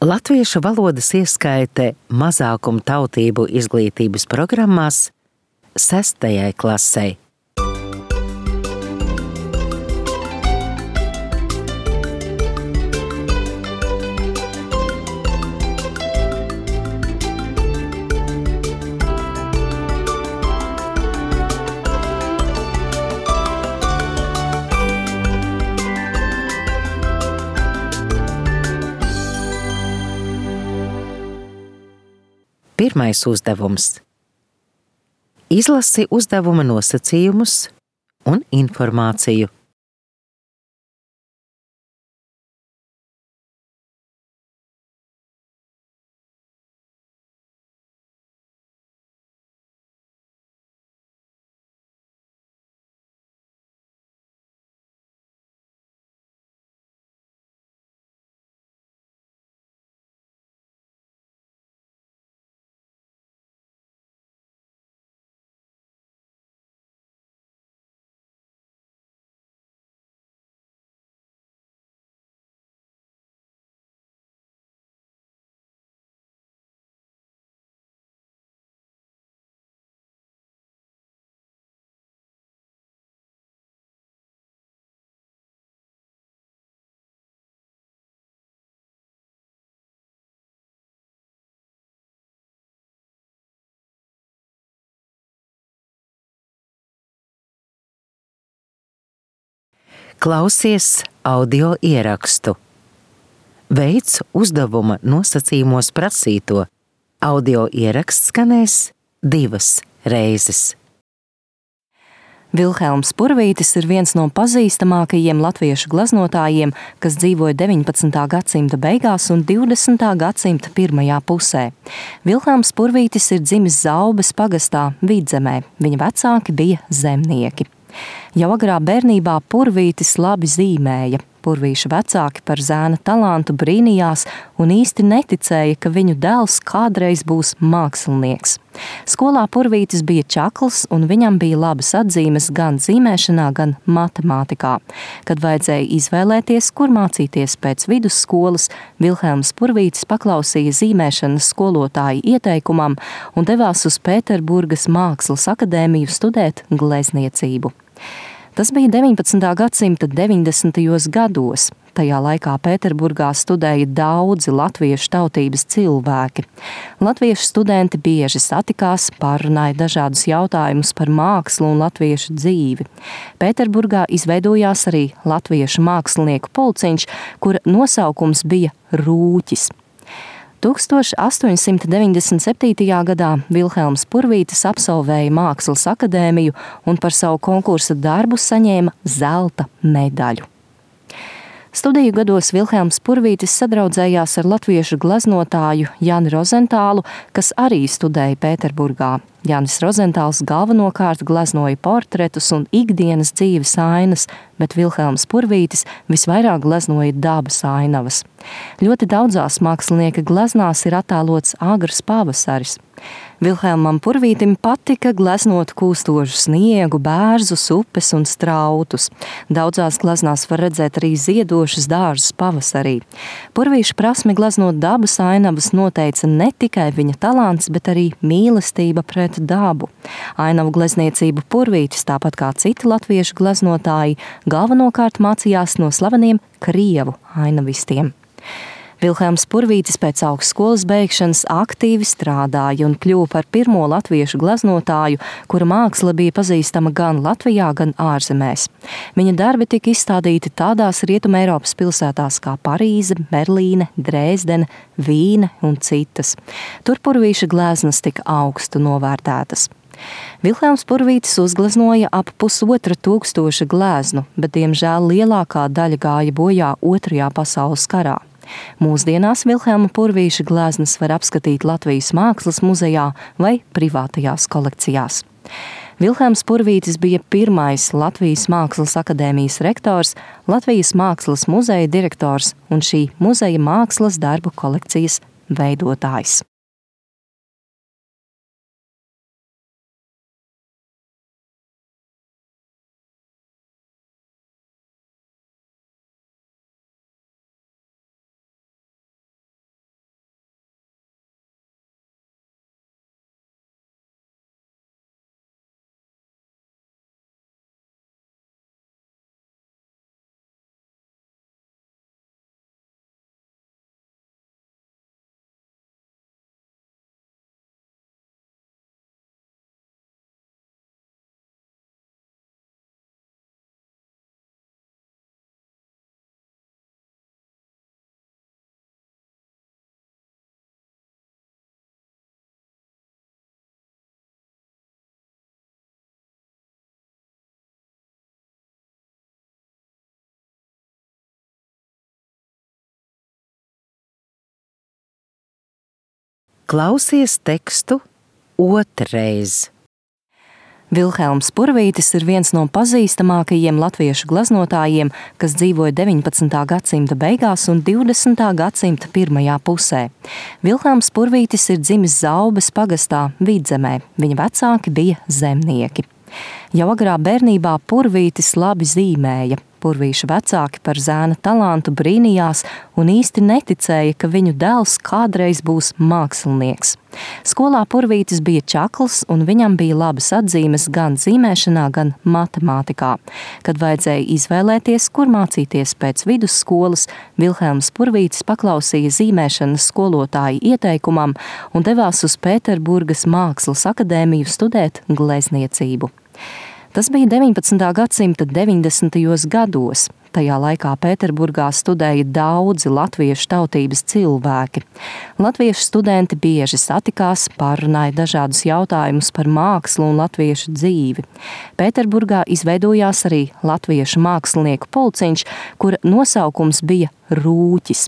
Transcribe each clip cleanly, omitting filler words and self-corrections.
Latviešu valodas ieskaite mazākumu tautību izglītības programmās 6. klasei. Pirmais uzdevums. Izlasi uzdevuma nosacījumus un informāciju. Klausies audio ierakstu. Veic uzdevuma nosacījumos prasīto. Audio ieraksts skanēs 2 reizes. Vilhelms Purvītis ir viens no pazīstamākajiem latviešu glaznotājiem, kas dzīvoja 19. gadsimta beigās un 20. gadsimta pirmajā pusē. Vilhelms Purvītis ir dzimis Zaubes pagastā Vidzemē. Viņa vecāki bija zemnieki. Jau agrā bērnībā Purvītis labi zīmēja. Purvīša vecāki par zēna talantu brīnījās un īsti neticēja, ka viņu dēls kādreiz būs mākslinieks. Skolā Purvītis bija čakls un viņam bija labas atzīmes gan zīmēšanā, gan matemātikā. Kad vajadzēja izvēlēties, kur mācīties pēc vidusskolas, Vilhelms Purvītis paklausīja zīmēšanas skolotāja ieteikumam un devās uz Pēterburgas Mākslas akadēmiju studēt glezniecību. Tas bija 19. gadsimta 90. gados. Tajā laikā Pēterburgā studēja daudzi latviešu tautības cilvēki. Latviešu studenti bieži satikās, pārunāja dažādus jautājumus par mākslu un latviešu dzīvi. Pēterburgā izveidojās arī latviešu mākslinieku pulciņš, kura nosaukums bija Rūķis. 1897. gadā Vilhelms Purvītis absolvēja Mākslas akadēmiju un par savu konkursa darbu saņēma zelta medaļu. Studiju gados Vilhelms Purvītis sadraudzējās ar latviešu gleznotāju Jāni Rozentālu, kas arī studēja Pēterburgā. Jānis Rozentāls galvenokārt gleznoja portretus un ikdienas dzīves ainas, bet Vilhelms Purvītis visvairāk gleznoja dabas ainavas. Ļoti daudzās mākslinieka gleznās ir attēlots agrs pavasaris. Vilhelmam Purvītim patika gleznot kūstošu sniegu, bērzus, upes un strautus. Daudzās gleznās var redzēt arī ziedošus dārzus pavasarī. Purvīša prasmi gleznot dabas ainavas noteica ne tikai viņa talants, bet arī mīlestība pret dabu. Ainavu glezniecību Purvītis, tāpat kā citi latviešu gleznotāji, galvenokārt mācījās no slaveniem krievu ainavistiem. Vilhelms Purvītis pēc augstskolas beigšanas aktīvi strādāja un kļuva par pirmo latviešu gleznotāju, kura māksla bija pazīstama gan Latvijā, gan ārzemēs. Viņa darbi tika izstādīti tādās Rietumē Eiropas pilsētās kā Parīze, Berlīne, Dresdene, Vīne un citas. Tur Purvīša gleznas tika augstu novērtētas. Vilhelms Purvītis uzgleznoja ap 1500 gleznu, bet diemžēl lielākā daļa gāja bojā Otrajā pasaules karā. Mūsdienās Vilhelma Purvīša gleznas var apskatīt Latvijas Mākslas muzejā vai privātajās kolekcijās. Vilhelms Purvītis bija pirmais Latvijas Mākslas akadēmijas rektors, Latvijas Mākslas muzeja direktors un šī muzeja mākslas darbu kolekcijas veidotājs. Klausies tekstu otrreiz. Vilhelms Purvītis ir viens no pazīstamākajiem latviešu glaznotājiem, kas dzīvoja 19. gadsimta beigās un 20. gadsimta pirmajā pusē. Vilhelms Purvītis ir dzimis Zaubes pagastā Vidzemē. Viņa vecāki bija zemnieki. Jau agrā bērnībā Purvītis labi zīmēja. Purvīša vecāki par zēna talantu brīnījās un īsti neticēja, ka viņu dēls kādreiz būs mākslinieks. Skolā Purvītis bija čakls un viņam bija labas atzīmes gan zīmēšanā, gan matemātikā. Kad vajadzēja izvēlēties, kur mācīties pēc vidusskolas, Vilhelms Purvītis paklausīja zīmēšanas skolotāja ieteikumam un devās uz Pēterburgas Mākslas akadēmiju studēt glezniecību. Tas bija 19. gadsimta 90. gados. Tajā laikā Pēterburgā studēja daudzi latviešu tautības cilvēki. Latviešu studenti bieži satikās, pārunāja dažādus jautājumus par mākslu un latviešu dzīvi. Pēterburgā izveidojās arī latviešu mākslinieku pulciņš, kura nosaukums bija Rūķis.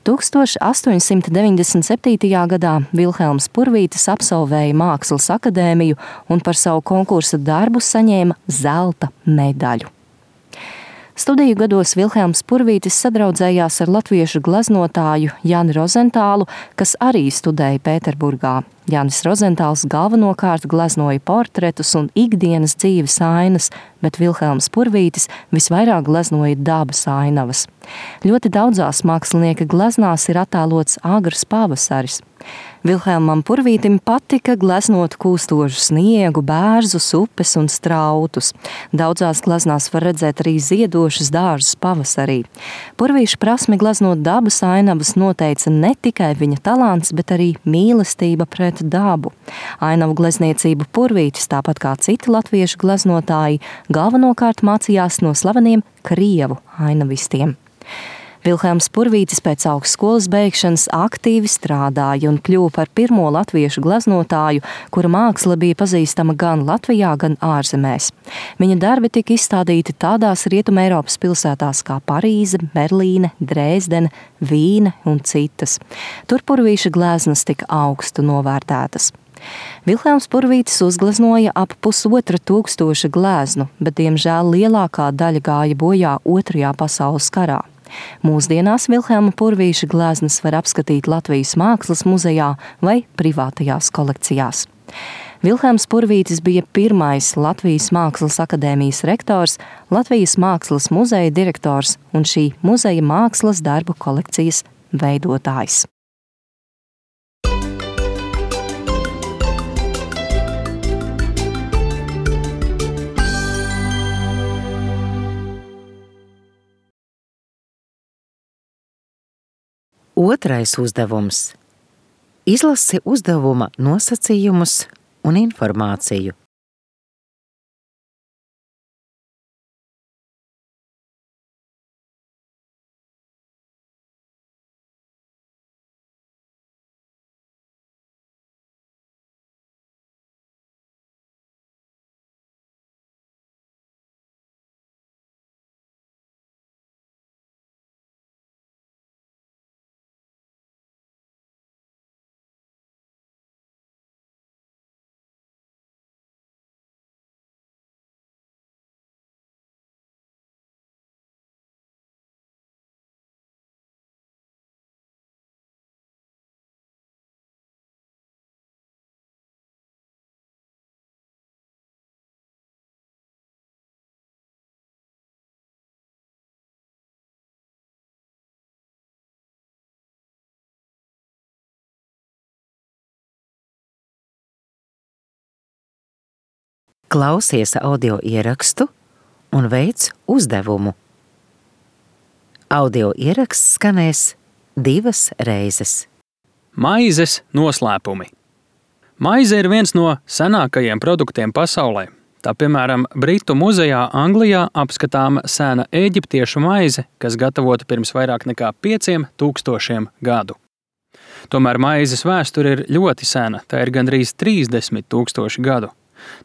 1897. gadā Vilhelms Purvītis absolvēja Mākslas akadēmiju un par savu konkursa darbu saņēma zelta medaļu. Studiju gados Vilhelms Purvītis sadraudzējās ar latviešu gleznotāju Jāni Rozentālu, kas arī studēja Pēterburgā. Jānis Rozentāls galvenokārt gleznoja portretus un ikdienas dzīves ainas, bet Vilhelms Purvītis visvairāk gleznoja dabas ainavas. Ļoti daudzās mākslinieka gleznās ir attēlots agrs pavasaris. Vilhelmam Purvītim patika gleznot kūstošu sniegu, bērzus, upes un strautus. Daudzās gleznās var redzēt arī ziedošus dārzus pavasarī. Purvīša prasmi gleznot dabas ainavas noteica ne tikai viņa talants, bet arī mīlestība pret dabu. Ainavu glezniecību Purvītis, tāpat kā citi latviešu gleznotāji, galvenokārt mācījās no slaveniem krievu ainavistiem. Vilhelms Purvītis pēc augstskolas beigšanas aktīvi strādāja un kļuva par pirmo latviešu gleznotāju, kura māksla bija pazīstama gan Latvijā, gan ārzemēs. Viņa darbi tika izstādīti tādās Rietumē Eiropas pilsētās kā Parīze, Berlīne, Dresdene, Vīne un citas. Tur Purvīša gleznas tika augstu novērtētas. Vilhelms Purvītis uzgleznoja ap 1500 gleznu, bet diemžēl lielākā daļa gāja bojā Otrajā pasaules karā. Mūsdienās Vilhelma Purvīša gleznas var apskatīt Latvijas Mākslas muzejā vai privātajās kolekcijās. Vilhelms Purvītis bija pirmais Latvijas Mākslas akadēmijas rektors, Latvijas Mākslas muzeja direktors un šī muzeja mākslas darbu kolekcijas veidotājs. Otrais uzdevums. Izlasi uzdevuma nosacījumus un informāciju. Klausies audio ierakstu un veic uzdevumu. Audio ieraksts skanēs 2 reizes. Maizes noslēpumi. Maize ir viens no senākajiem produktiem pasaulē. Tā, piemēram, Britu muzejā Anglijā apskatāma sena eģiptiešu maize, kas gatavota pirms vairāk nekā 5000 gadu. Tomēr maizes vēsture ir ļoti sena, tā ir gandrīz 30 000 gadu.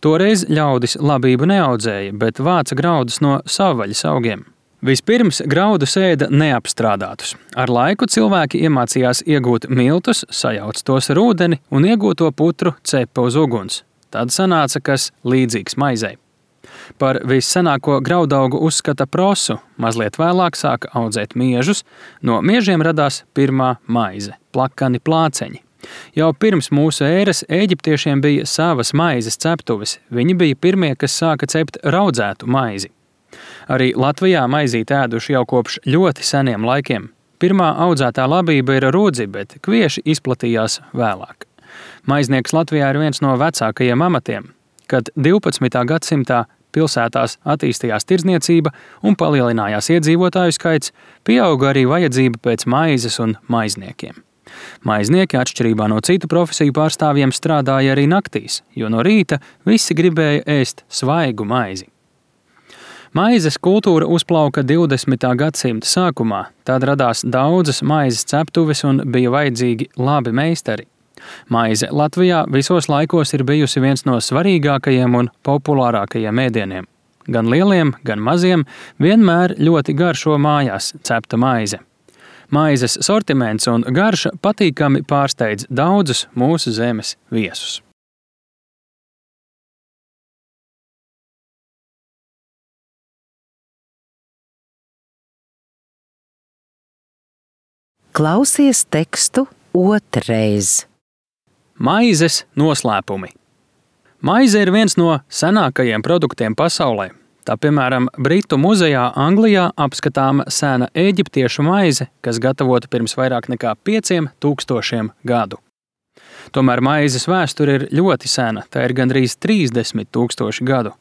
Toreiz ļaudis labību neaudzēja, bet vāca graudus no savvaļas augiem. Vispirms graudus ēda neapstrādātus. Ar laiku cilvēki iemācījās iegūt miltus, sajauc tos ar ūdeni un iegūto putru cepa uz uguns. Tad sanāca kas līdzīgs maizei. Par vissenāko graudaugu uzskata prosu, mazliet vēlāk sāka audzēt miežus, no miežiem radās pirmā maize – plakani plāceņi. Jau pirms mūsu ēras eģiptiešiem bija savas maizes ceptuves, viņi bija pirmie, kas sāka cept raudzētu maizi. Arī Latvijā maizīt ēduši jau kopš ļoti seniem laikiem. Pirmā audzētā labība ir rudzi, bet kvieši izplatījās vēlāk. Maiznieks Latvijā ir viens no vecākajiem amatiem. Kad 12. gadsimtā pilsētās attīstījās tirdzniecība un palielinājās iedzīvotāju skaits, pieauga arī vajadzība pēc maizes un maizniekiem. Maiznieki, atšķirībā no citu profesiju pārstāvjiem, strādāja arī naktīs, jo no rīta visi gribēja ēst svaigu maizi. Maizes kultūra uzplauka 20. gadsimta sākumā, tad radās daudzas maizes ceptuves un bija vajadzīgi labi meistari. Maize Latvijā visos laikos ir bijusi viens no svarīgākajiem un populārākajiem ēdieniem. Gan lieliem, gan maziem vienmēr ļoti garšo mājās cepta maize. Maizes sortiments un garša patīkami pārsteidz daudzus mūsu zemes viesus. Klausies tekstu otrreiz. Maizes noslēpumi. Maize ir viens no senākajiem produktiem pasaulē. Tā, piemēram, Britu muzejā Anglijā apskatāma sena eģiptiešu maize, kas gatavota pirms vairāk nekā 5000 gadu. Tomēr maizes vēsture ir ļoti sena, tā ir gandrīz 30 000 gadu.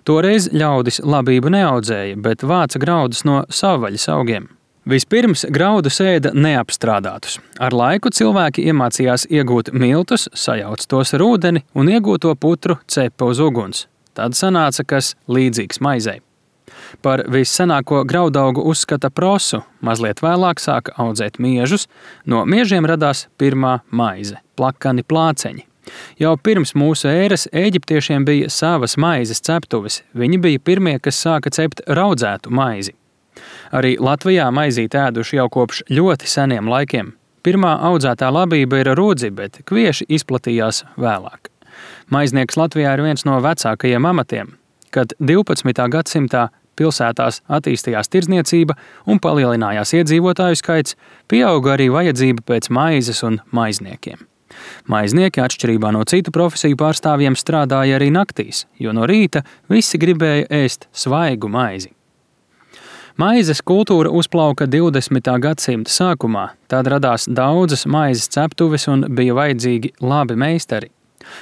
Toreiz ļaudis labību neaudzēja, bet vāca graudus no savvaļas augiem. Vispirms graudus ēda neapstrādātus. Ar laiku cilvēki iemācījās iegūt miltus, sajauc tos ar ūdeni un iegūto putru cepa uz uguns. Tad sanāca kas līdzīgs maizei. Par vissenāko graudaugu uzskata prosu, mazliet vēlāk sāka audzēt miežus, no miežiem radās pirmā maize – plakani plāceņi. Jau pirms mūsu ēras eģiptiešiem bija savas maizes ceptuves, viņi bija pirmie, kas sāka cept raudzētu maizi. Arī Latvijā maizīt ēduši jau kopš ļoti seniem laikiem. Pirmā audzētā labība ir rudzi, bet kvieši izplatījās vēlāk. Maiznieks Latvijā ir viens no vecākajiem amatiem. Kad 12. gadsimtā pilsētās attīstījās tirdzniecība un palielinājās iedzīvotāju skaits, pieauga arī vajadzība pēc maizes un maizniekiem. Maiznieki, atšķirībā no citu profesiju pārstāvjiem, strādāja arī naktīs, jo no rīta visi gribēja ēst svaigu maizi. Maizes kultūra uzplauka 20. gadsimta sākumā, tad radās daudzas maizes ceptuves un bija vajadzīgi labi meistari.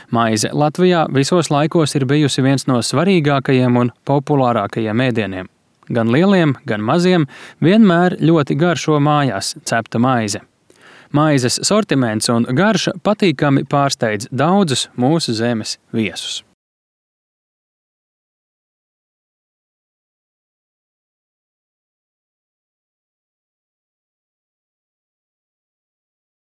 Maize Latvijā visos laikos ir bijusi viens no svarīgākajiem un populārākajiem ēdieniem. Gan lieliem, gan maziem vienmēr ļoti garšo mājās cepta maize. Maizes sortiments un garša patīkami pārsteidz daudzus mūsu zemes viesus.